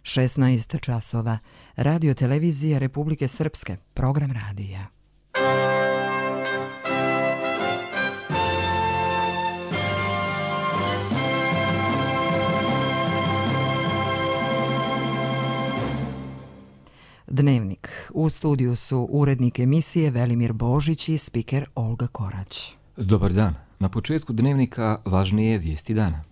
16 časova. Radio televizija Republike Srpske. Program radija. Dnevnik. U studiju su urednik emisije Velimir Božić i spiker Olga Korać. Dobar dan. Na početku dnevnika važnije vijesti dana.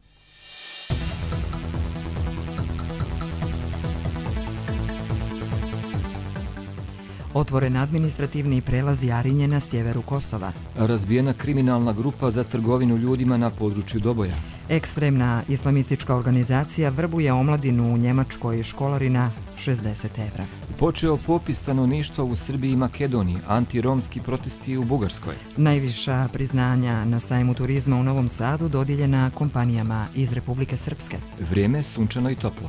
Otvoren administrativni prelaz Jarinje na sjeveru Kosova. Razbijena kriminalna grupa za trgovinu ljudima na području Doboja. Ekstremna islamistička organizacija vrbuje omladinu u Njemačkoj školarina 60 evra. Počeo popis stanovništva u Srbiji i Makedoniji, antiromski protesti u Bugarskoj. Najviša priznanja na sajmu turizma u Novom Sadu dodijeljena kompanijama iz Republike Srpske. Vrijeme sunčano i toplo.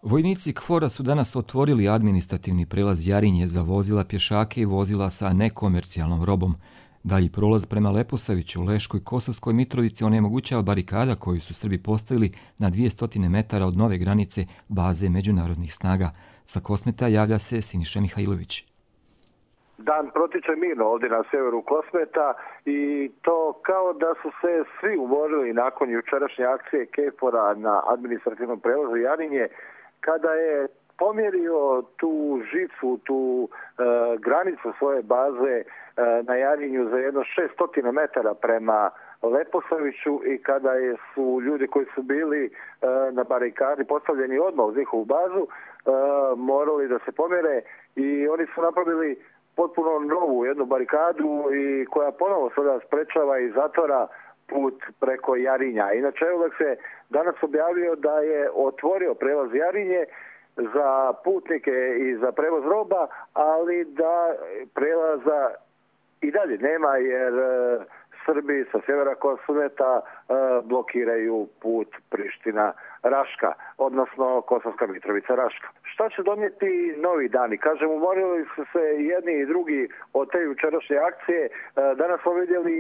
Vojnici KFOR-a su danas otvorili administrativni prelaz Jarinje za vozila pješake i vozila sa nekomercijalnom robom. Dalji prolaz prema Leposaviću, Leškoj, Kosovskoj Mitrovici onemogućava barikada koju su Srbi postavili na 200 metara od nove granice baze međunarodnih snaga. Sa Kosmeta javlja se Siniša Mihajlović. Dan protiče mirno ovdje na severu Kosmeta i to kao da su se svi umorili nakon jučerašnje akcije KFOR-a na administrativnom prelazu Jarinje, kada je pomjerio tu žicu, tu granicu svoje baze na Jarinju za jedno 600 metara prema Leposaviću i kada su ljudi koji su bili na barikadi postavljeni odmah uz njihovu bazu morali da se pomjere i oni su napravili potpuno novu jednu barikadu i koja ponovo sada sprečava i zatvara put preko Jarinja. Inače, Eulex je danas objavio da je otvorio prelaz Jarinje za putnike i za prevoz roba, ali da prelaza i dalje nema jer Srbi sa sjevera Kosmeta blokiraju put Priština-Raška, odnosno Kosovska Mitrovica-Raška. Šta će donijeti novi dani? Kažem, umorili su se jedni i drugi od te jučerašnje akcije. Danas smo vidjeli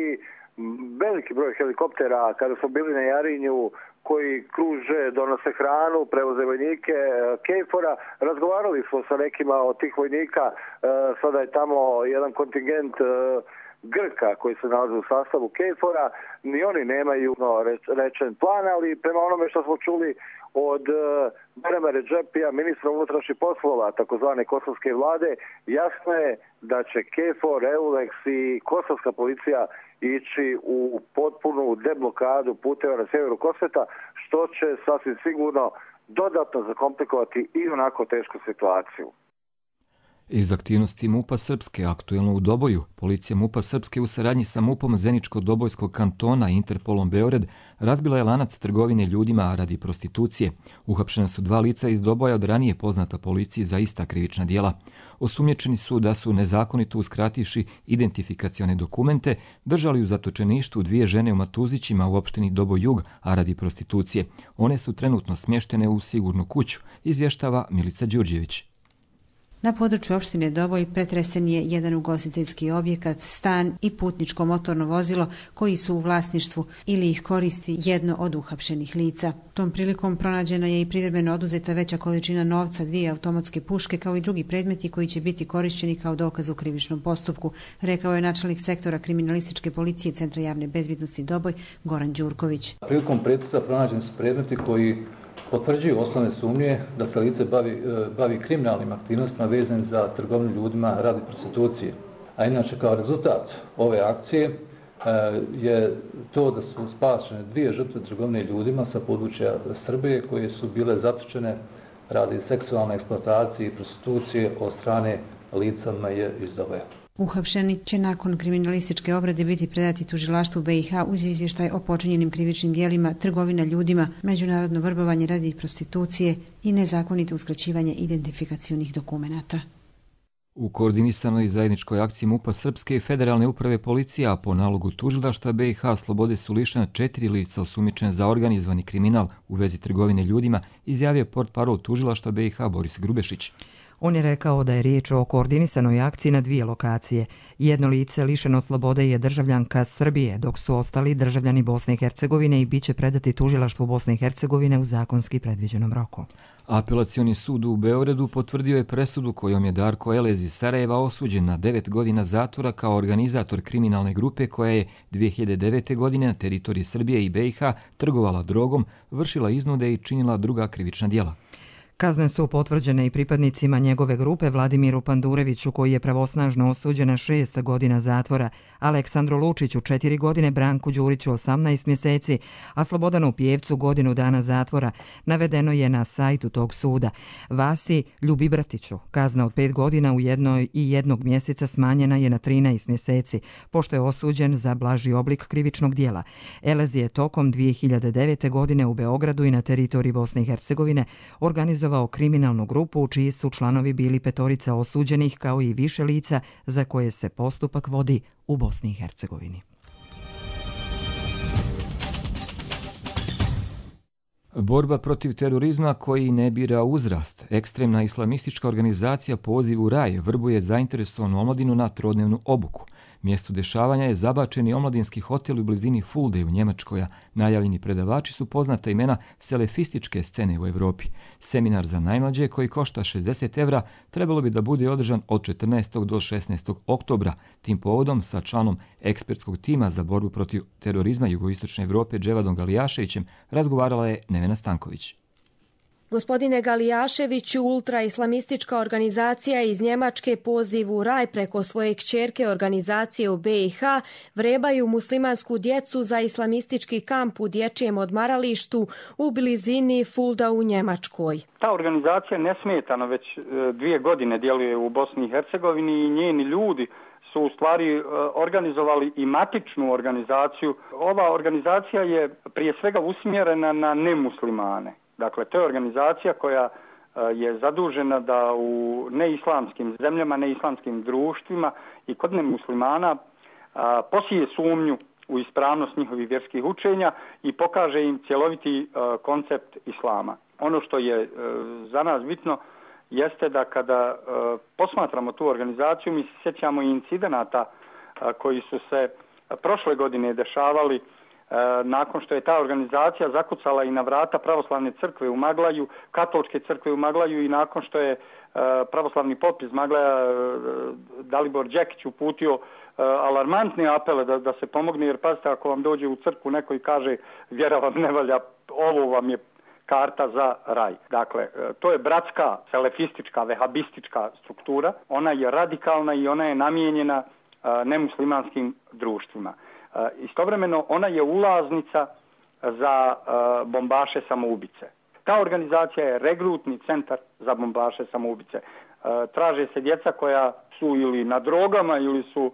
veliki broj helikoptera kada smo bili na Jarinju koji kruže, donose hranu, prevoze vojnike KFOR-a. Razgovarali smo sa nekima od tih vojnika, sada je tamo jedan kontingent Grka koji se nalaze u sastavu KFOR-a, ni oni nemaju rečen plan, ali prema onome što smo čuli od Berema Redžepija, ministra unutrašnjih poslova, takozvane kosovske vlade, jasno je da će KFOR, Eulex i kosovska policija ići u potpunu deblokadu puteva na sjeveru Kosmeta, što će sasvim sigurno dodatno zakomplikovati i onako tešku situaciju. Iz aktivnosti MUP-a Srpske, aktuelno u Doboju, policija MUP-a Srpske u saradnji sa MUP-om Zeničko-Dobojskog kantona i Interpolom Beograd razbila je lanac trgovine ljudima radi prostitucije. Uhapšena su 2 lica iz Doboja od ranije poznata policiji za ista krivična djela. Osumnjičeni su da su nezakonito uskrativši identifikacione dokumente držali u zatočeništvu 2 žene u Matuzićima u opštini Doboj Jug, a radi prostitucije. One su trenutno smještene u sigurnu kuću, izvještava Milica Đurđević. Na području opštine Doboj pretresen je jedan ugostiteljski objekat, stan i putničko motorno vozilo koji su u vlasništvu ili ih koristi jedno od uhapšenih lica. Tom prilikom pronađena je i privremeno oduzeta veća količina novca, 2 automatske puške kao i drugi predmeti koji će biti korišćeni kao dokaz u krivičnom postupku, rekao je načelnik sektora kriminalističke policije Centra javne bezbjednosti Doboj Goran Đurković. Prilikom pretresa pronađeni su predmeti koji potvrđuju osnovne sumnje da se lice bavi kriminalnim aktivnostima vezanim za trgovinu ljudima radi prostitucije. A inače, kao rezultat ove akcije je to da su spašene 2 žrtve trgovine ljudima sa područja Srbije koje su bile zatočene radi seksualne eksploatacije i prostitucije od strane lica iz Doboja. Uhapšeni će nakon kriminalističke obrade biti predati tužilaštvu BiH uz izvještaj o počinjenim krivičnim djelima, trgovina ljudima, međunarodno vrbovanje radi prostitucije i nezakonito uskraćivanje identifikacionih dokumenata. U koordinisanoj zajedničkoj akciji MUP-a Srpske i Federalne uprave policija, a po nalogu tužilaštva BiH, slobode su lišena 4 lica osumnjičena za organizovani kriminal u vezi trgovine ljudima, izjavio portparol tužilaštva BiH Boris Grubešić. On je rekao da je riječ o koordinisanoj akciji na 2 lokacije. Jedno lice lišeno slobode je državljanka Srbije, dok su ostali državljani Bosne i Hercegovine i bit će predati tužilaštvu Bosne i Hercegovine u zakonski predviđenom roku. Apelacioni sud u Beogradu potvrdio je presudu kojom je Darko Elez iz Sarajeva osuđen na 9 godina zatvora kao organizator kriminalne grupe koja je 2009. godine na teritoriji Srbije i BiH trgovala drogom, vršila iznude i činila druga krivična djela. Kazne su potvrđene i pripadnicima njegove grupe Vladimiru Pandureviću, koji je pravosnažno osuđen na 6 godina zatvora, Aleksandru Lučiću 4 godine, Branku Đuriću 18 mjeseci, a Slobodanu Pijevcu godinu dana zatvora. Navedeno je na sajtu tog suda. Vasi Ljubibratiću kazna od 5 godina u 1 mjeseca smanjena je na 13 mjeseci, pošto je osuđen za blaži oblik krivičnog djela. Elez je tokom 2009. godine u Beogradu i na teritoriji Bosne i Hercegovine organizovao kriminalnu grupu u čiji su članovi bili 5 osuđenih kao i više lica za koje se postupak vodi u Bosni i Hercegovini. Borba protiv terorizma koji ne bira uzrast. Ekstremna islamistička organizacija Poziv u raj vrbuje zainteresovanu omladinu na trodnevnu obuku. Mjesto dešavanja je zabačeni omladinski hotel u blizini Fulde u Njemačkoj. Najavljeni predavači su poznata imena selefističke scene u Europi. Seminar za najmlađe koji košta 60 evra trebalo bi da bude održan od 14. do 16. oktobra. Tim povodom sa članom ekspertskog tima za borbu protiv terorizma jugoistočne Europe Dževadom Galijaševićem razgovarala je Nevena Stanković. Gospodine Galijaševiću, ultraislamistička organizacija iz Njemačke Poziv u raj preko svoje kćerke organizacije u BiH vrebaju muslimansku djecu za islamistički kamp u dječjem odmaralištu u blizini Fulda u Njemačkoj. Ta organizacija nesmetano već 2 godine djeluje u Bosni i Hercegovini i njeni ljudi su u stvari organizovali i matičnu organizaciju. Ova organizacija je prije svega usmjerena na nemuslimane. Dakle, to je organizacija koja je zadužena da u neislamskim zemljama, neislamskim društvima i kod nemuslimana posije sumnju u ispravnost njihovih vjerskih učenja i pokaže im cjeloviti koncept islama. Ono što je za nas bitno jeste da kada posmatramo tu organizaciju, mi se sjećamo i incidenata koji su se prošle godine dešavali nakon što je ta organizacija zakucala i na vrata pravoslavne crkve u Maglaju, katoličke crkve u Maglaju i nakon što je pravoslavni pop iz Maglaja Dalibor Đekić uputio alarmantne apele da se pomogne, jer pazite, ako vam dođe u crkvu neko i kaže vjera vam ne valja, ovo vam je karta za raj. Dakle, to je bratska, selefistička, vehabistička struktura. Ona je radikalna i ona je namijenjena nemuslimanskim društvima. Istovremeno ona je ulaznica za bombaše samoubice. Ta organizacija je regrutni centar za bombaše samoubice. Traže se djeca koja su ili na drogama ili su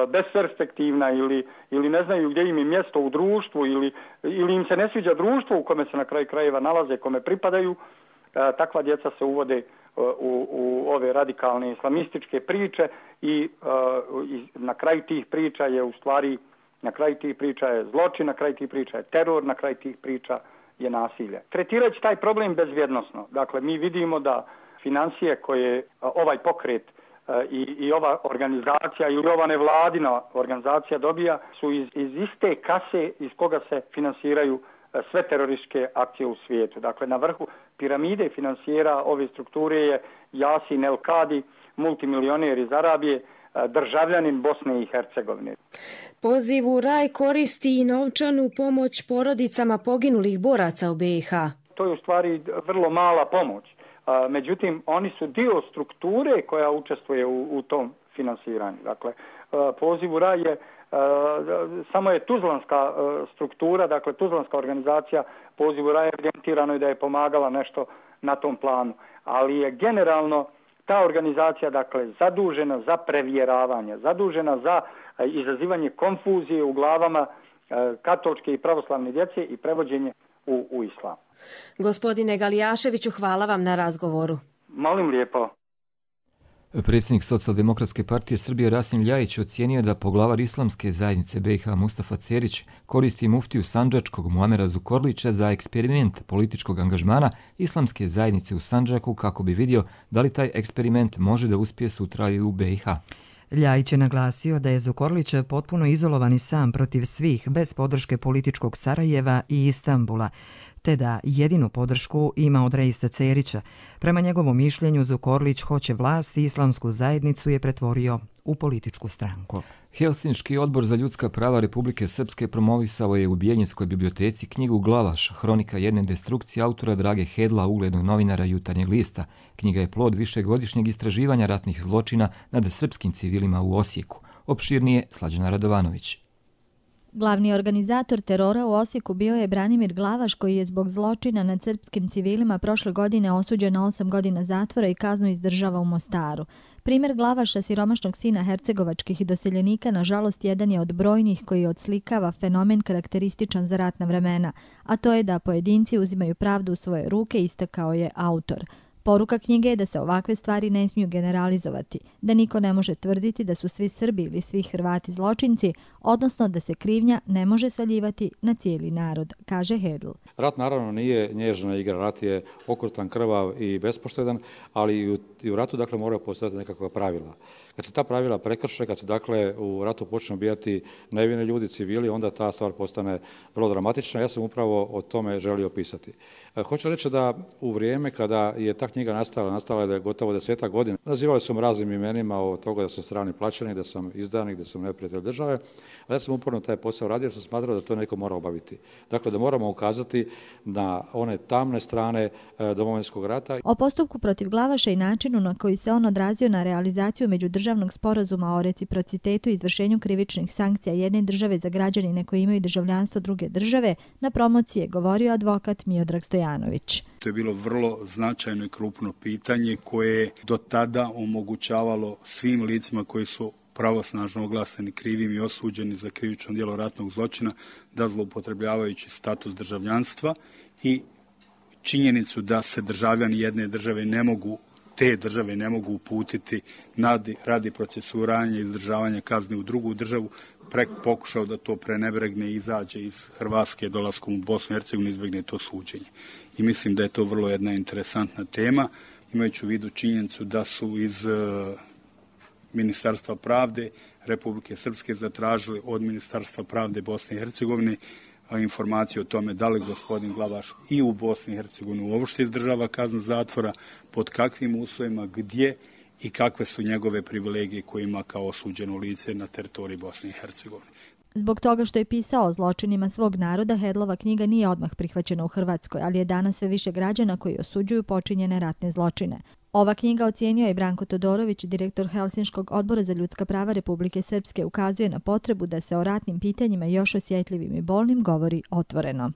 besperspektivna ili ne znaju gdje im je mjesto u društvu ili im se ne sviđa društvo u kome se na kraju krajeva nalaze, kome pripadaju. Takva djeca se uvode u ove radikalne islamističke priče i na kraju tih priča je u stvari na kraju tih priča je zločin, na kraju tih priča je teror, na kraju tih priča je nasilje. Tretirajući taj problem bezvjednosno, dakle mi vidimo da financije koje ovaj pokret i ova organizacija ili ova nevladina organizacija dobija su iz iste kase iz koga se finansiraju sve terorističke akcije u svijetu. Dakle, na vrhu piramide finansijera ove strukture je Yasin El-Kadi, multimilioner iz Arabije, državljanin Bosne i Hercegovine. Poziv u raj koristi i novčanu pomoć porodicama poginulih boraca u BiH. To je u stvari vrlo mala pomoć. Međutim, oni su dio strukture koja učestvuje u tom finansiranju. Dakle, Poziv u raj je samo je tuzlanska struktura, dakle tuzlanska organizacija Poziv u raj evidentirano je da je pomagala nešto na tom planu. Ali je generalno ta organizacija, dakle, zadužena za prevjeravanje, zadužena za izazivanje konfuzije u glavama katoličke i pravoslavne djece i prevođenje u islam. Gospodine Galijaševiću, hvala vam na razgovoru. Molim lijepo. Predsjednik Socijaldemokratske partije Srbije Rasim Ljajić ocijenio je da poglavar Islamske zajednice BiH Mustafa Cerić koristi muftiju Sandžačkog Muamera Zukorlića za eksperiment političkog angažmana Islamske zajednice u Sandžaku kako bi vidio da li taj eksperiment može da uspije sutra i u BiH. Ljajić je naglasio da je Zukorlić potpuno izolovan i sam protiv svih bez podrške političkog Sarajeva i Istanbula, te da jedinu podršku ima od Reisa Cerića. Prema njegovom mišljenju, Zukorlić hoće vlast i Islamsku zajednicu je pretvorio u političku stranku. Helsinški odbor za ljudska prava Republike Srpske promovisao je u Bijeljinskoj biblioteci knjigu Glavaš, hronika jedne destrukcije autora Drage Hedla, uglednog novinara Jutarnjeg lista. Knjiga je plod višegodišnjeg istraživanja ratnih zločina nad srpskim civilima u Osijeku. Opširnije Slađana Radovanović. Glavni organizator terora u Osijeku bio je Branimir Glavaš, koji je zbog zločina nad srpskim civilima prošle godine osuđen na 8 godina zatvora i kaznu izdržava u Mostaru. Primjer Glavaša, siromašnog sina hercegovačkih doseljenika, nažalost jedan je od brojnih koji odslikava fenomen karakterističan za ratna vremena, a to je da pojedinci uzimaju pravdu u svoje ruke, istakao je autor. Poruka knjige je da se ovakve stvari ne smiju generalizovati, da niko ne može tvrditi da su svi Srbi ili svi Hrvati zločinci, odnosno da se krivnja ne može svaljivati na cijeli narod, kaže Hedl. Rat naravno nije nježna igra, rat je okrutan, krvav i bespoštedan, ali i u ratu dakle moraju postojati nekakva pravila. Kad se ta pravila prekrše, kad se dakle u ratu počnu ubijati nevini ljudi, civili, onda ta stvar postane vrlo dramatična. Ja sam upravo o tome želio pisati. Hoću reći da u vrijeme kada je ta knjiga nastala je da je gotovo 10 godina. Nazivali su raznim imenima od toga da sam strani plaćenik, da sam izdanik, da sam neprijatelj države, ali ja sam uporno taj posao radio jer sam smatrao da to neko mora obaviti. Dakle, da moramo ukazati na one tamne strane Domovinskog rata. O postupku protiv Glavaša i načinu na koji se on odrazio na realizaciju međudržavnog sporazuma o reciprocitetu i izvršenju krivičnih sankcija jedne države za građanine koji imaju državljanstvo druge države, na promociji je govorio advokat Miodrag Stojanović. To je bilo vrlo značajno i krupno pitanje koje je do tada omogućavalo svim licima koji su pravosnažno oglašeni krivim i osuđeni za krivično djelo ratnog zločina da zloupotrebljavajući status državljanstva i činjenicu da se državljani jedne države ne mogu uputiti radi procesuiranja i izdržavanja kazne u drugu državu, pokušao da to prenebregne i izađe iz Hrvatske dolaskom u Bosnu i Hercegovinu, izbjegne to suđenje. I mislim da je to vrlo jedna interesantna tema, imajući u vidu činjenicu da su iz Ministarstva pravde Republike Srpske zatražili od Ministarstva pravde Bosne i Hercegovine informaciju o tome da li gospodin Glavaš i u Bosni i Hercegovini uopšte izdržava kaznu zatvora, pod kakvim uslovima, gdje i kakve su njegove privilegije koje ima kao osuđeno lice na teritoriji Bosne i Hercegovine. Zbog toga što je pisao o zločinima svog naroda, Hedlova knjiga nije odmah prihvaćena u Hrvatskoj, ali je danas sve više građana koji osuđuju počinjene ratne zločine. Ova knjiga, ocijenio je Branko Todorović, direktor Helsinškog odbora za ljudska prava Republike Srpske, ukazuje na potrebu da se o ratnim pitanjima još osjetljivim i bolnim govori otvoreno.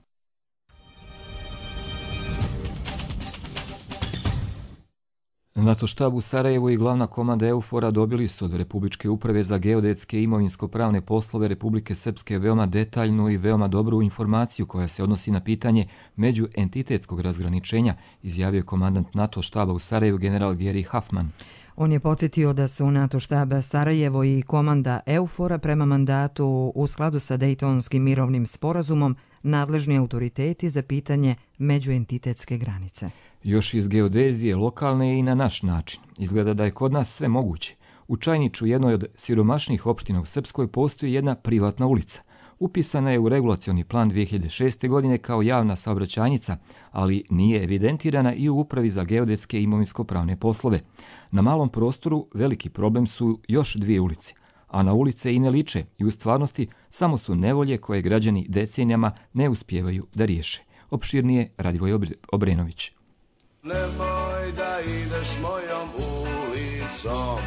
NATO štab u Sarajevu i glavna komanda EUFOR-a dobili su od Republičke uprave za geodetske i imovinsko-pravne poslove Republike Srpske veoma detaljnu i veoma dobru informaciju koja se odnosi na pitanje međuentitetskog razgraničenja, izjavio komandant NATO štaba u Sarajevu general Geri Huffman. On je podsjetio da su NATO štab Sarajevo i komanda EUFOR-a prema mandatu u skladu sa Dejtonskim mirovnim sporazumom nadležni autoriteti za pitanje međuentitetske granice. Još iz geodezije lokalne i na naš način. Izgleda da je kod nas sve moguće. U Čajniču, jednoj od siromašnijih opština u Srpskoj, postoji jedna privatna ulica. Upisana je u regulacioni plan 2006. godine kao javna saobraćajnica, ali nije evidentirana i u Upravi za geodetske i imovinsko-pravne poslove. Na malom prostoru veliki problem su još 2 ulice, a na ulice i ne liče i u stvarnosti samo su nevolje koje građani decenijama ne uspijevaju da riješe. Opširnije Radivoj Obrenović. Nemoj da ideš mojom ulicom.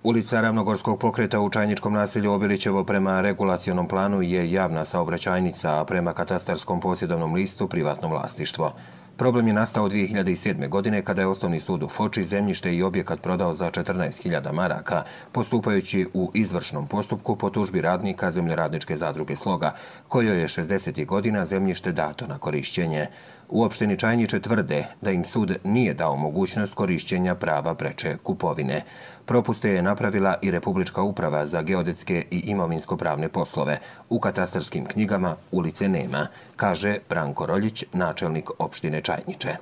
Ulica Ravnogorskog pokreta u Čajničkom naselju Obilićevo prema regulacionom planu je javna saobraćajnica, a prema katastarskom posjedovnom listu privatno vlasništvo. Problem je nastao 2007. godine kada je Osnovni sud u Foči zemljište i objekat prodao za 14.000 maraka, postupajući u izvršnom postupku po tužbi radnika Zemljoradničke zadruge Sloga, kojoj je 60. godina zemljište dato na korišćenje. U opštini Čajniče tvrde da im sud nije dao mogućnost korišćenja prava preče kupovine. Propuste je napravila i Republička uprava za geodetske i imovinsko-pravne poslove. U katastarskim knjigama ulice nema, kaže Branko Roljić, načelnik opštine Čajniče.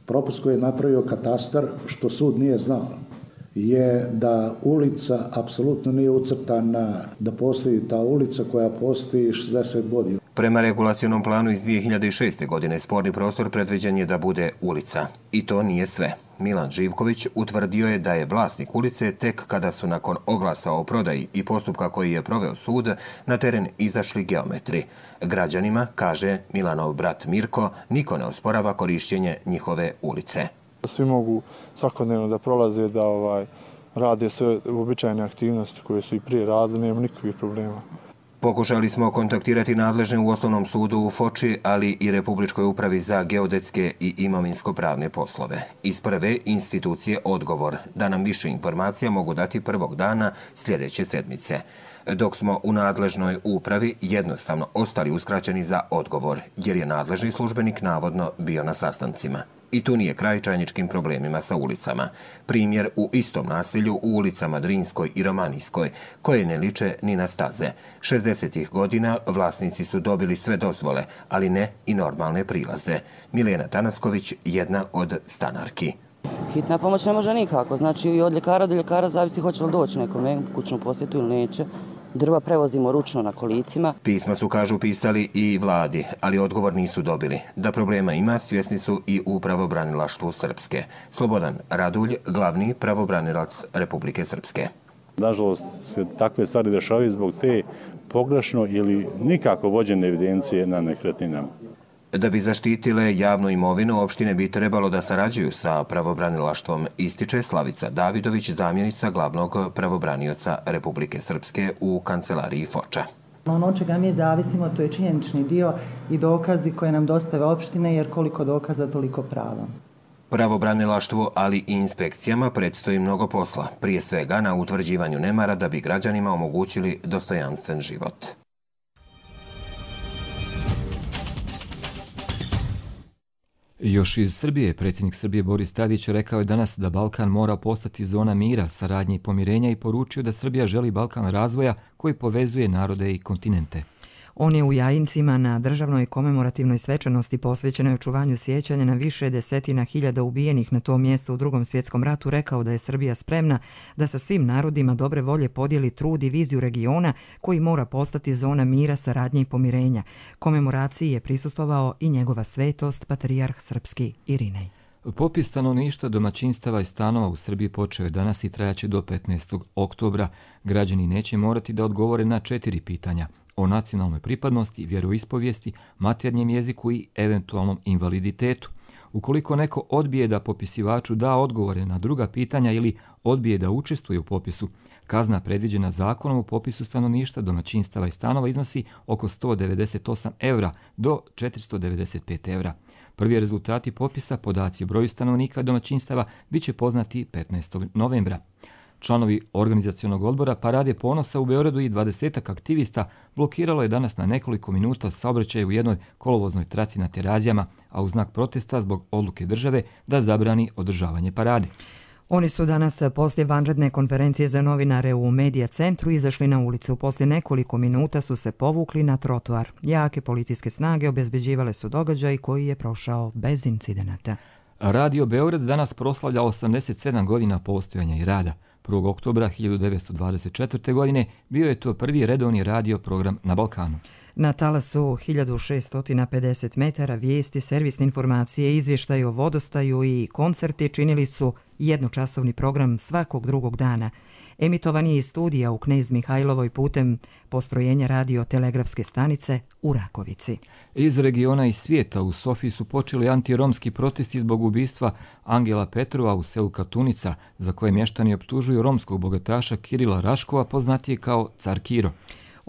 Propust koji je napravio katastar, što sud nije znao, je da ulica apsolutno nije ucrtana, da postoji ta ulica koja postoji 60 godina. Prema regulacionom planu iz 2006. godine sporni prostor predviđen je da bude ulica. I to nije sve. Milan Živković utvrdio je da je vlasnik ulice tek kada su nakon oglasa o prodaji i postupka koji je proveo sud na teren izašli geometri. Građanima, kaže Milanov brat Mirko, niko ne osporava korišćenje njihove ulice. Svi mogu svakodnevno da prolaze, da rade sve uobičajene aktivnosti koje su i prije radili, nema nikakvih problema. Pokušali smo kontaktirati nadležne u Osnovnom sudu u Foči, ali i Republičkoj upravi za geodetske i imovinsko-pravne poslove. Iz prve institucije odgovor da nam više informacija mogu dati prvog dana sljedeće sedmice. Dok smo u nadležnoj upravi jednostavno ostali uskraćeni za odgovor, jer je nadležni službenik navodno bio na sastancima. I tu nije kraj čajničkim problemima sa ulicama. Primjer u istom naselju u ulicama Drinskoj i Romanijskoj, koje ne liče ni na staze. 60. godina vlasnici su dobili sve dozvole, ali ne i normalne prilaze. Milena Tanasković, jedna od stanarki. Hitna pomoć ne može nikako, znači i od ljekara do ljekara zavisi hoće li doći nekome kućnu posjetu ili neće. Drva prevozimo ručno na kolicima. Pisma su, kažu, pisali i vladi, ali odgovor nisu dobili. Da problema ima, svjesni su i u pravobranilaštvu Srpske. Slobodan Radulj, glavni pravobranilac Republike Srpske. Nažalost, se takve stvari dešavaju zbog te pogrešno ili nikako vođene evidencije na nekretninama. Da bi zaštitile javnu imovinu, opštine bi trebalo da sarađuju sa pravobranilaštvom, ističe Slavica Davidović, zamjenica glavnog pravobranioca Republike Srpske u kancelariji Foča. Ono od čega mi zavisimo, to je činjenični dio i dokazi koje nam dostave opštine, jer koliko dokaza, toliko prava. Pravobranilaštvu, ali i inspekcijama predstoji mnogo posla, prije svega na utvrđivanju nemara da bi građanima omogućili dostojanstven život. Još iz Srbije, predsjednik Srbije Boris Tadić rekao je danas da Balkan mora postati zona mira, saradnje i pomirenja i poručio da Srbija želi Balkan razvoja koji povezuje narode i kontinente. On je u Jajincima na državnoj komemorativnoj svečanosti posvećenoj očuvanju sjećanja na više desetina hiljada ubijenih na tom mjestu u Drugom svjetskom ratu rekao da je Srbija spremna da sa svim narodima dobre volje podijeli trud i viziju regiona koji mora postati zona mira, saradnje i pomirenja. Komemoraciji je prisustvovao i njegova svetost, patrijarh srpski Irinej. Popis stanovništva, domaćinstava i stanova u Srbiji počeo je danas i trajaće do 15. oktobra. Građani neće morati da odgovore na 4 pitanja o nacionalnoj pripadnosti, vjeroispovijesti, maternjem jeziku i eventualnom invaliditetu. Ukoliko neko odbije da popisivaču da odgovore na druga pitanja ili odbije da učestvuje u popisu, kazna predviđena zakonom o popisu stanovništva, domaćinstava i stanova iznosi oko 198 € do 495 €. Prvi rezultati popisa, podaci o broju stanovnika domaćinstava, bit će poznati 15. novembra. Članovi organizacionog odbora Parade ponosa u Beogradu i 20 aktivista blokiralo je danas na nekoliko minuta saobraćaj u jednoj kolovoznoj traci na Terazijama, a u znak protesta zbog odluke države da zabrani održavanje parade. Oni su danas poslije vanredne konferencije za novinare u Medija centru izašli na ulicu. Poslije nekoliko minuta su se povukli na trotoar. Jake policijske snage obezbeđivale su događaj koji je prošao bez incidenata. Radio Beograd danas proslavlja 87 godina postojanja i rada. 1. oktobra 1924. godine bio je to prvi redovni radio program na Balkanu. Na talasu 1650 metara vijesti, servisne informacije, izvještaji o vodostaju i koncerti činili su jednočasovni program svakog drugog dana. Emitovan je iz studija u Knez Mihajlovoj putem postrojenja radio-telegrafske stanice u Rakovici. Iz regiona i svijeta u Sofiji su počeli antiromski protesti zbog ubistva Angela Petrova u selu Katunica, za koje mještani optužuju romskog bogataša Kirila Raškova, poznatije kao Car Kiro.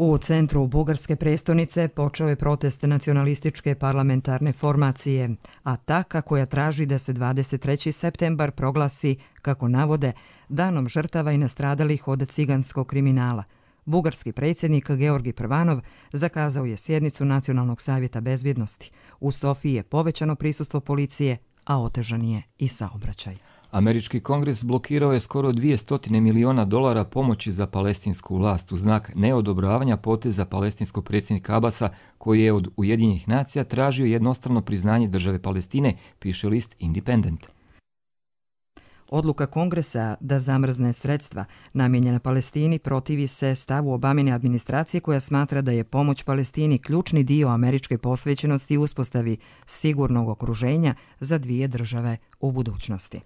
U centru bugarske prestonice počeo je protest nacionalističke parlamentarne formacije, Ataka koja traži da se 23. septembar proglasi, kako navode, danom žrtava i nastradalih od ciganskog kriminala. Bugarski predsjednik Georgi Prvanov zakazao je sjednicu Nacionalnog savjeta bezbjednosti. U Sofiji je povećano prisustvo policije, a otežan je i saobraćaj. Američki kongres blokirao je skoro $200 miliona pomoći za palestinsku vlast u znak neodobravanja poteza palestinskog predsjednika Abasa, koji je od Ujedinjenih nacija tražio jednostrano priznanje države Palestine, piše list Independent. Odluka Kongresa da zamrzne sredstva namijenjena Palestini protivi se stavu Obamine administracije koja smatra da je pomoć Palestini ključni dio američke posvećenosti i uspostavi sigurnog okruženja za dvije države u budućnosti.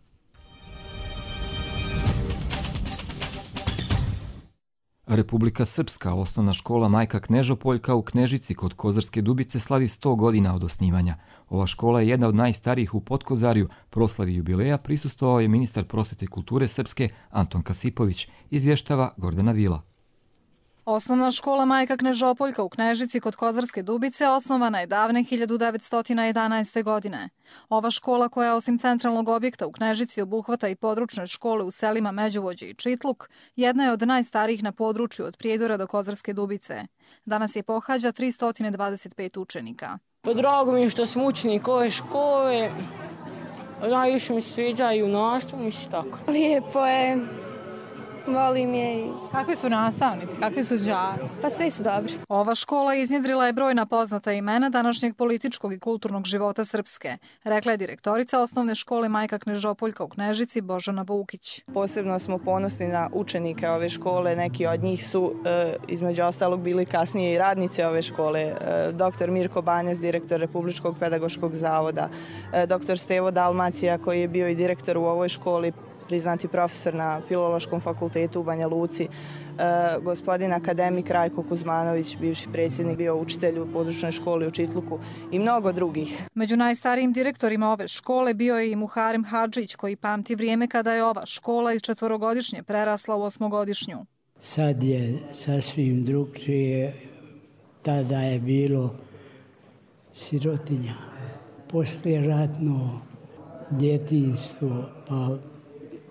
Republika Srpska, osnovna škola Majka Knežopoljka u Knežici kod Kozarske Dubice slavi 100 godina od osnivanja. Ova škola je jedna od najstarijih u Podkozarju. Proslavi jubileja prisustvovao je ministar prosvete i kulture Srpske Anton Kasipović, izvještava Gordana Vila. Osnovna škola Majka Knežopoljka u Knežici kod Kozarske Dubice osnovana je davne 1911. godine. Ova škola, koja osim centralnog objekta u Knežici obuhvata i područne škole u selima Međuvođe i Čitluk, jedna je od najstarijih na području od Prijedora do Kozarske Dubice. Danas je pohađa 325 učenika. Drago mi je što sam učenik ove škole. Najviše mi se sviđaju nastavu, tako. Lijepo je. Volim je. Kakvi su nastavnici, kakvi su đaci? Pa svi su dobri. Ova škola iznjedrila je brojna poznata imena današnjeg političkog i kulturnog života Srpske, rekla je direktorica osnovne škole Majka Knežopoljka u Knežici Božana Vukić. Posebno smo ponosni na učenike ove škole, neki od njih su između ostalog bili kasnije i radnici ove škole. Dr. Mirko Banjac, direktor Republičkog pedagoškog zavoda, dr. Stevo Dalmacija koji je bio i direktor u ovoj školi, priznati profesor na Filološkom fakultetu u Banja Luci, gospodin akademik Rajko Kuzmanović, bivši predsjednik, bio učitelj u područnoj školi u Čitluku i mnogo drugih. Među najstarijim direktorima ove škole bio je i Muharem Hadžić, koji pamti vrijeme kada je ova škola iz 4-godišnje prerasla u 8-godišnju. Sad je sasvim drugčije, tada je bilo sirotinja, poslijeratno djetinjstvo, pa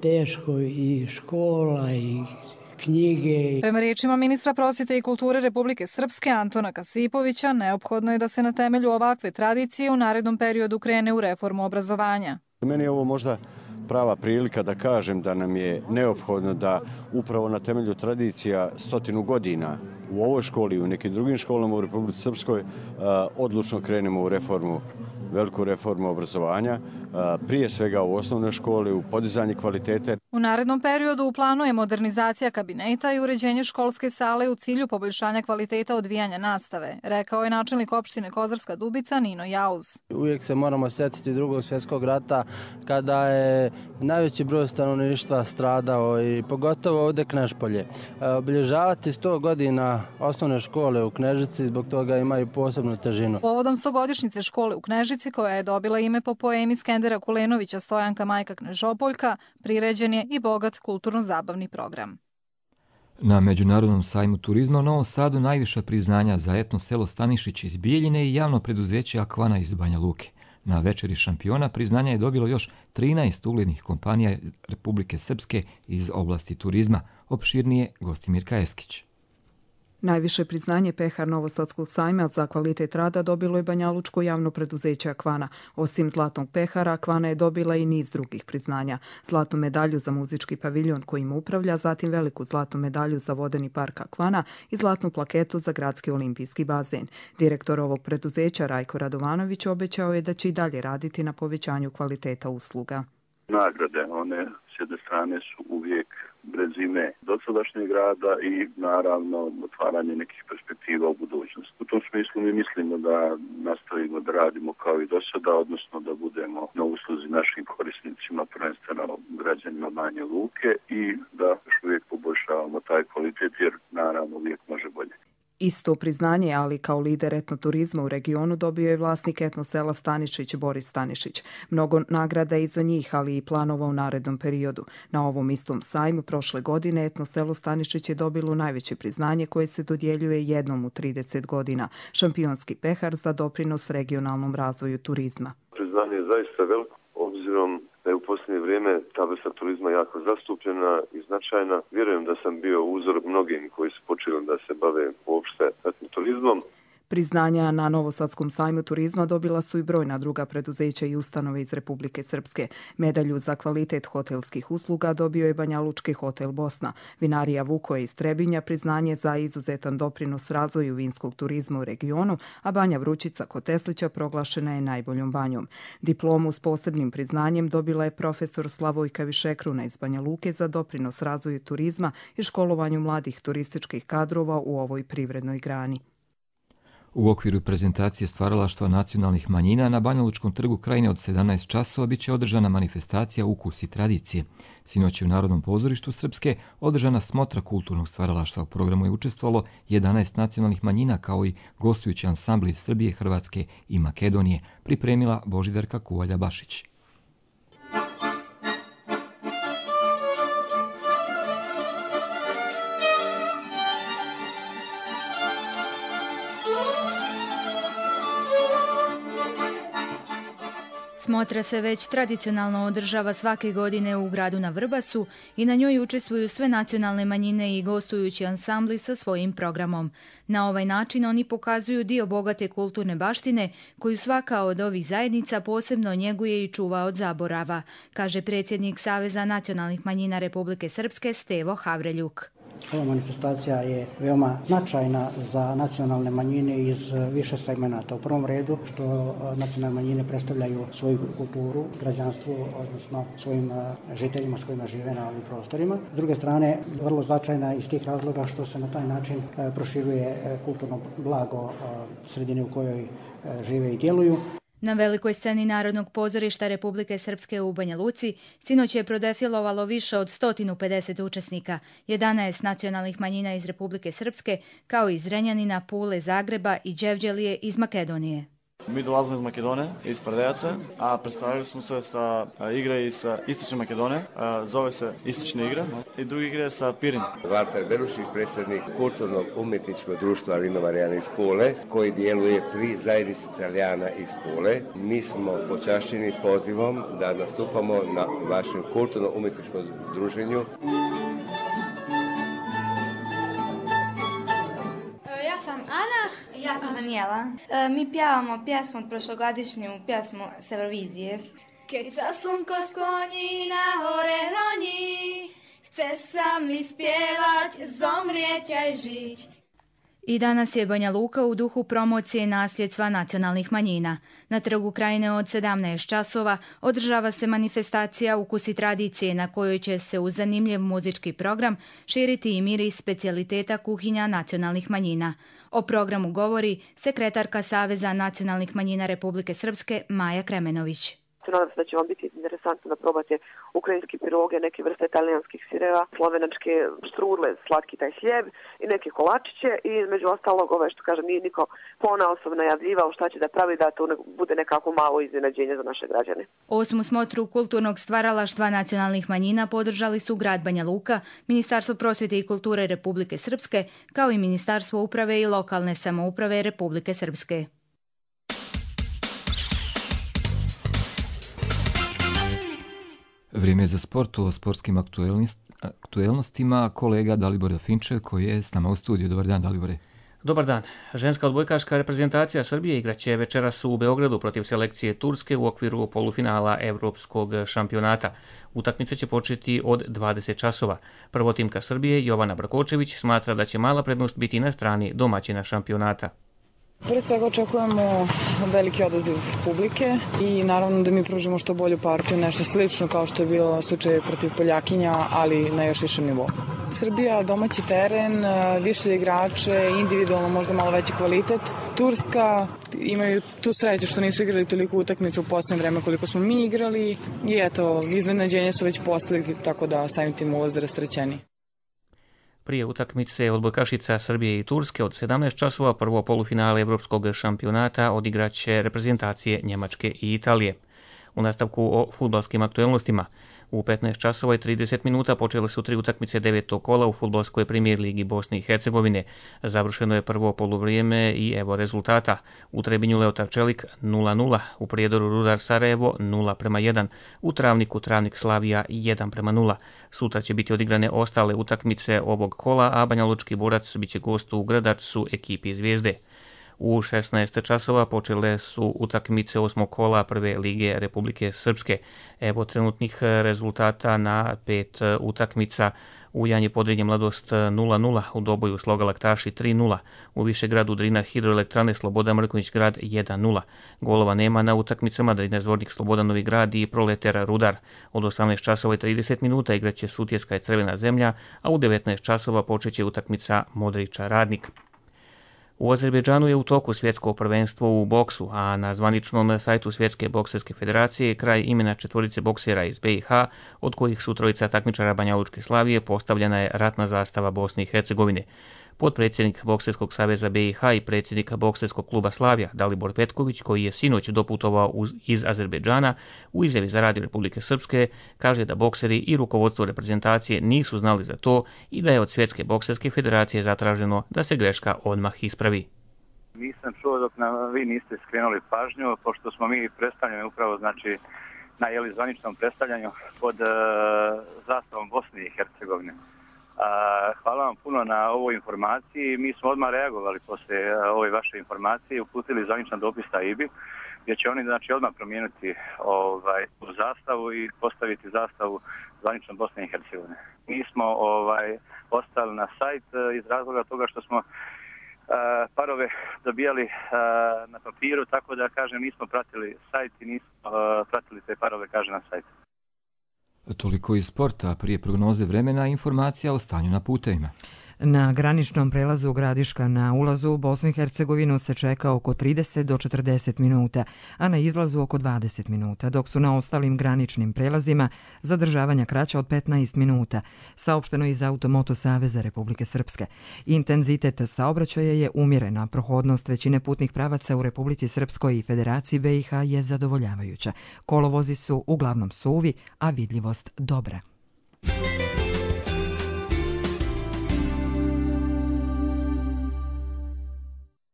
teško i škola i knjige. Prema riječima ministra prosvjete i kulture Republike Srpske Antona Kasipovića, neophodno je da se na temelju ovakve tradicije u narednom periodu krene u reformu obrazovanja. Meni je ovo možda prava prilika da kažem da nam je neophodno da upravo na temelju tradicija 100 godina u ovoj školi i u nekim drugim školama u Republici Srpskoj odlučno krenemo u reformu, veliku reformu obrazovanja, prije svega u osnovnoj školi, u podizanje kvalitete. U narednom periodu u planu je modernizacija kabineta i uređenje školske sale u cilju poboljšanja kvaliteta odvijanja nastave, rekao je načelnik opštine Kozarska Dubica Nino Jauz. Uvijek se moramo sjetiti Drugog svjetskog rata kada je najveći broj stanovništva stradao i pogotovo ovdje Knežpolje. Obilježavati 100 godina osnovne škole u Knežici zbog toga imaju posebnu težinu. Povodom 100-godišnjice škole u Knežici, koja je dobila ime po poemi Skendera Kulenovića Stojanka Majka Knežopoljka, priređen je i bogat kulturno-zabavni program. Na Međunarodnom sajmu turizma u Novom Sadu najviša priznanja za etno selo Stanišić iz Bijeljine i javno preduzeće Akvana iz Banja Luke. Na večeri šampiona priznanja je dobilo još 13 uglednih kompanija Republike Srpske iz oblasti turizma. Opširnije Gostimir Kajeskić. Najviše priznanje Pehar Novosadskog sajma za kvalitet rada dobilo je banjalučko javno preduzeće Akvana. Osim zlatnog pehara, Akvana je dobila i niz drugih priznanja. Zlatnu medalju za muzički paviljon kojim upravlja, zatim veliku zlatnu medalju za vodeni park Akvana i zlatnu plaketu za gradski olimpijski bazen. Direktor ovog preduzeća Rajko Radovanović obećao je da će i dalje raditi na povećanju kvaliteta usluga. Nagrade, one s jedne strane su uvijek brezine dosadašnjeg rada i naravno otvaranje nekih perspektiva u budućnosti. U tom smislu mi mislimo da nastavimo da radimo kao i do sada, odnosno da budemo na usluzi našim korisnicima, prvenstveno građanima Banja Luke i da još uvijek poboljšavamo taj kvalitet jer naravno uvijek može bolje. Isto priznanje, ali kao lider etnoturizma u regionu, dobio je vlasnik etnosela Stanišić Boris Stanišić. Mnogo nagrada i za njih, ali i planova u narednom periodu. Na ovom istom sajmu prošle godine etnoselo Stanišić je dobilo najveće priznanje koje se dodjeljuje jednom u 30 godina. Šampionski pehar za doprinos regionalnom razvoju turizma. Priznanje je zaista veliko, obzirom da je u posljednje vrijeme ta vrsta turizma jako zastupljena i značajna. Vjerujem da sam bio uzor mnogim koji su počeli da se bave uopšte turizmom. Priznanja na Novosadskom sajmu turizma dobila su i brojna druga preduzeća i ustanove iz Republike Srpske. Medalju za kvalitet hotelskih usluga dobio je Banjalučki hotel Bosna. Vinarija Vukoje iz Trebinja priznanje za izuzetan doprinos razvoju vinskog turizma u regionu, a Banja Vrućica kod Teslića proglašena je najboljom banjom. Diplomu s posebnim priznanjem dobila je profesor Slavojka Višekruna iz Banja Luke za doprinos razvoju turizma i školovanju mladih turističkih kadrova u ovoj privrednoj grani. U okviru prezentacije stvaralaštva nacionalnih manjina na Banjalučkom trgu Krajine od 17 časova biće održana manifestacija Ukus i tradicije. Sinoć je u Narodnom pozorištu Srpske održana smotra kulturnog stvaralaštva. U programu je učestvovalo 11 nacionalnih manjina kao i gostujući ansambli iz Srbije, Hrvatske i Makedonije, pripremila Božidarka Kuvalja-Bašić. Smotra se već tradicionalno održava svake godine u gradu na Vrbasu i na njoj učestvuju sve nacionalne manjine i gostujući ansambli sa svojim programom. Na ovaj način oni pokazuju dio bogate kulturne baštine koju svaka od ovih zajednica posebno njeguje i čuva od zaborava, kaže predsjednik Saveza nacionalnih manjina Republike Srpske Stevo Havreljuk. Ova manifestacija je veoma značajna za nacionalne manjine iz više segmenata. U prvom redu što nacionalne manjine predstavljaju svoju kulturu, građanstvo, odnosno svojim žiteljima s kojima žive na ovim prostorima. S druge strane, vrlo značajna iz tih razloga što se na taj način proširuje kulturno blago sredine u kojoj žive i djeluju. Na velikoj sceni Narodnog pozorišta Republike Srpske u Banja Luci sinoć je prodefilovalo više od 150 učesnika, 11 nacionalnih manjina iz Republike Srpske, kao i iz Zrenjanina, Pule, Zagreba i Đevđelije iz Makedonije. Mi dolazimo iz Makedonije, iz Pardejaca, a predstavili smo se sa igre iz Istočne Makedonije, zove se Istočna igra, i druga igra je sa Pirin. Valter Berušić, predsjednik kulturnog umjetničkog društva Lino Marijana iz Pule, koji djeluje pri zajednici Italijana iz Pule. Mi smo počašćeni pozivom da nastupamo na vašem kulturno umjetničkom druženju. Ja sam Ana. Ja sam Daniela. Mi pjevamo pjesmu od prošlogodišnju pjesmu s Eurovizije. Keď sa slunko skloní na hore hroní, chce sa mi spjevać, zomrieť aj žiť. I danas je Banja Luka u duhu promocije nasljedstva nacionalnih manjina. Na trgu Krajine od 17 časova održava se manifestacija Ukus i tradicije na kojoj će se uz zanimljiv muzički program širiti i miris specijaliteta kuhinja nacionalnih manjina. O programu govori sekretarka Saveza nacionalnih manjina Republike Srpske Maja Kremenović. Nadam se da će vam biti interesantno da probate ukrajinski piroge, neke vrste italijanskih sireva, slovenačke štrudle, slatki taj hljeb i neke kolačiće i između ostalog, što kažem, nije niko ponaosob najavljivao šta će da pravi, da to bude nekako malo iznenađenje za naše građane. 8. smotru kulturnog stvaralaštva nacionalnih manjina podržali su grad Banja Luka, Ministarstvo prosvjete i kulture Republike Srpske, kao i Ministarstvo uprave i lokalne samouprave Republike Srpske. Vrijeme je za sport, o sportskim aktuelnostima kolega Dalibor Finčev koji je s nama u studiju. Dobar dan, Dalibore. Dobar dan. Ženska odbojkaška reprezentacija Srbije igraće večeras u Beogradu protiv selekcije Turske u okviru polufinala Evropskog šampionata. Utakmica će početi od 20 časova. Prvotimka Srbije Jovana Brakočević smatra da će mala prednost biti na strani domaćina šampionata. Pre svega očekujemo veliki odaziv publike i naravno da mi pružimo što bolju partiju, nešto slično kao što je bio slučaj protiv Poljakinja, ali na još višem nivou. Srbija, domaći teren, više igrače, individualno možda malo veći kvalitet. Turska imaju tu sreću što nisu igrali toliko utakmica u posljednje vreme koliko smo mi igrali i eto, iznenađenje su već postigli, tako da samim tim ulaze rasterećeni. Prije utakmice odbojkašica Srbije i Turske od 17 časova prvo polufinale Evropskog šampionata odigraće reprezentacije Njemačke i Italije. U nastavku o fudbalskim aktuelnostima. U 15 časova i 30 minuta počele su 3 utakmice 9. kola u fudbalskoj premijer ligi Bosne i Hercegovine. Završeno je prvo poluvrijeme i evo rezultata. U Trebinju Leotar Čelik 0-0, u Prijedoru Rudar Sarajevo 0-1, u Travniku Travnik Slavija 1-0. Sutra će biti odigrane ostale utakmice ovog kola, a Banjalučki Borac biće gost u Gradačcu ekipi Zvijezde. U 16 časova počele su utakmice 8. kola prve lige Republike Srpske. Evo trenutnih rezultata na 5 utakmica. U Janje Podrinje Mladost 0-0, u Doboju Sloga Laktaši 3-0, u Višegradu Drina Hidroelektrane Sloboda Mrkonjić Grad 1-0. Golova nema na utakmicama Drina Zvornik Sloboda Novi Grad i Proletar Rudar. Od 18 časova i 30 minuta igraće Sutjeska i Crvena zemlja, a u 19 časova počeće utakmica Modriča Radnik. U Azerbejdžanu je u toku svjetsko prvenstvo u boksu, a na zvaničnom sajtu Svjetske bokserske federacije kraj imena 4 boksera iz BiH, od kojih su 3 takmičara Banjalučke Slavije, postavljena je ratna zastava Bosne i Hercegovine. Potpredsjednik Bokserskog saveza BiH i predsjednik Bokserskog kluba Slavija Dalibor Petković, koji je sinoć doputovao iz Azerbejdžana, u izjavi za Radio Republike Srpske kaže da bokseri i rukovodstvo reprezentacije nisu znali za to i da je od Svjetske bokserske federacije zatraženo da se greška odmah ispravi. Nisam čuo dok vi niste skrenuli pažnju, pošto smo mi predstavljeni upravo na zvaničnom predstavljanju pod zastavom Bosne i Hercegovine. Hvala vam puno na ovoj informaciji. Mi smo odmah reagovali poslije ove vaše informacije i uputili zvaničan dopis AIBI, gdje će oni odmah promijeniti zastavu i postaviti zastavu zvanično Bosne i Hercegovine. Mi smo ostali na sajt iz razloga toga što smo parove dobijali na papiru, tako da nismo pratili sajt i nismo pratili te parove na sajtu. Toliko iz sporta, prije prognoze vremena informacija o stanju na putevima. Na graničnom prelazu Gradiška na ulazu u Bosnu i Hercegovinu se čeka oko 30 do 40 minuta, a na izlazu oko 20 minuta, dok su na ostalim graničnim prelazima zadržavanja kraća od 15 minuta, saopšteno iz Automoto Saveza Republike Srpske. Intenzitet saobraćaja je umjeren, a prohodnost većine putnih pravaca u Republici Srpskoj i Federaciji BiH je zadovoljavajuća. Kolovozi su uglavnom suvi, a vidljivost dobra.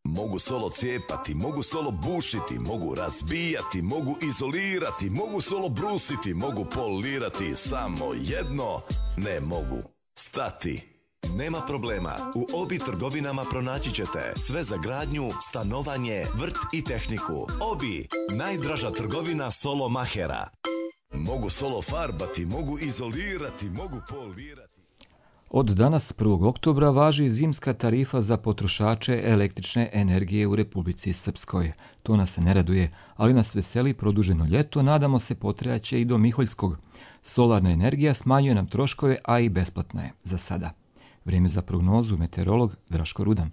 Mogu solo cijepati, mogu solo bušiti, mogu razbijati, mogu izolirati, mogu solo brusiti, mogu polirati, samo jedno ne mogu stati. Nema problema, u Obi trgovinama pronaći ćete sve za gradnju, stanovanje, vrt i tehniku. Obi, najdraža trgovina solo mahera. Mogu solo farbati, mogu izolirati, mogu polirati. Od danas 1. oktobra važi zimska tarifa za potrošače električne energije u Republici Srpskoj. To nas ne raduje, ali nas veseli produženo ljeto, nadamo se potrajaće i do Miholjskog. Solarna energija smanjuje nam troškove, a i besplatna je za sada. Vrijeme za prognozu, meteorolog Draško Rudan.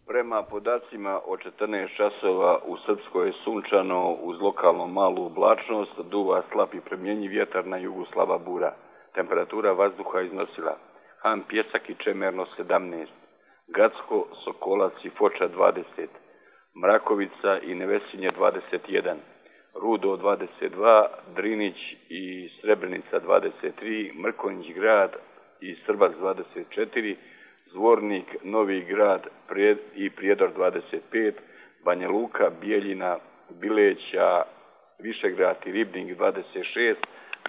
Prema podacima od 14 časova u Srpskoj je sunčano uz lokalno malu oblačnost, duva slab i premjenjiv vjetar na jugu slaba bura. Temperatura vazduha iznosila Han Pjesak i Čemerno 17, Gacko, Sokolac i Foča 20, Mrakovica i Nevesinje 21, Rudo 22, Drinić i Srebrenica 23, Mrkonjić grad i Srbac 24, Zvornik, Novi grad i Prijedor 25, Banja Luka, Bijeljina, Bileća, Višegrad i Ribnik 26,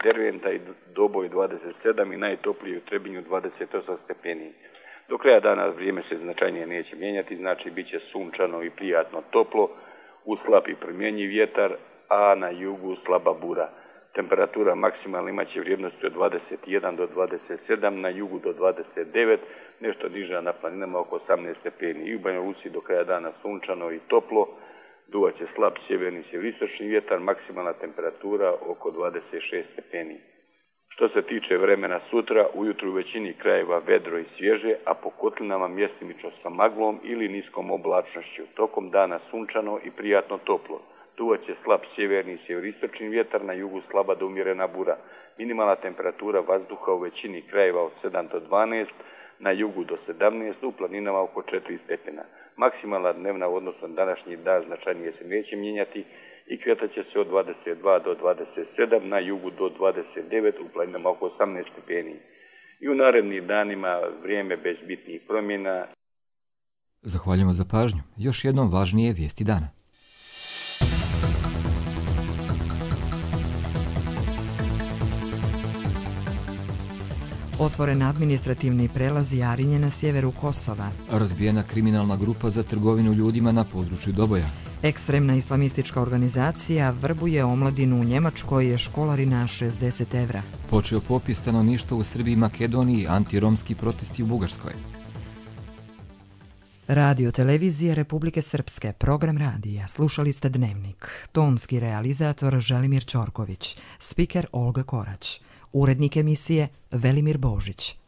Derventa i Doboj 27 i najtoplije u Trebinju 28 stepeni. Do kraja dana vrijeme se značajnije neće mijenjati, znači bit će sunčano i prijatno toplo, uz slab i promjenjiv vjetar, a na jugu slaba bura. Temperatura maksimalna imaće vrijednosti od 21 do 27, na jugu do 29, nešto niža na planinama oko 18 stepeni. I u Banja Luci do kraja dana sunčano i toplo, duvaće slab sjeverni sjeveristočni vjetar, maksimalna temperatura oko 26 stepeni. Što se tiče vremena sutra, ujutru u većini krajeva vedro i svježe, a po kotlinama mjestimično sa maglom ili niskom oblačnošću. Tokom dana sunčano i prijatno toplo. Duvaće slab sjeverni i sjeveristočni vjetar, na jugu slaba do umjerena bura. Minimalna temperatura vazduha u većini krajeva od 7 do 12, na jugu do 17, u planinama oko 4 stepena. Maksimalna dnevna u odnosu na današnji dan značajnije se neće mijenjati i kretat će se od 22 do 27, na jugu do 29, u planinama oko 18 stepeni. I u narednim danima vrijeme bez bitnih promjena. Zahvaljujemo za pažnju. Još jednom važnije vijesti dana. Otvoren administrativni prelaz Jarinje na sjeveru Kosova. Razbijena kriminalna grupa za trgovinu ljudima na području Doboja. Ekstremna islamistička organizacija vrbuje omladinu u Njemačkoj, školarina 60 evra. Počeo popis stanovništva u Srbiji i Makedoniji, antiromski protesti u Bugarskoj. Radio televizije Republike Srpske, program radija, slušali ste Dnevnik. Tonski realizator Želimir Ćorković, spiker Olga Korać, urednik emisije Velimir Božić.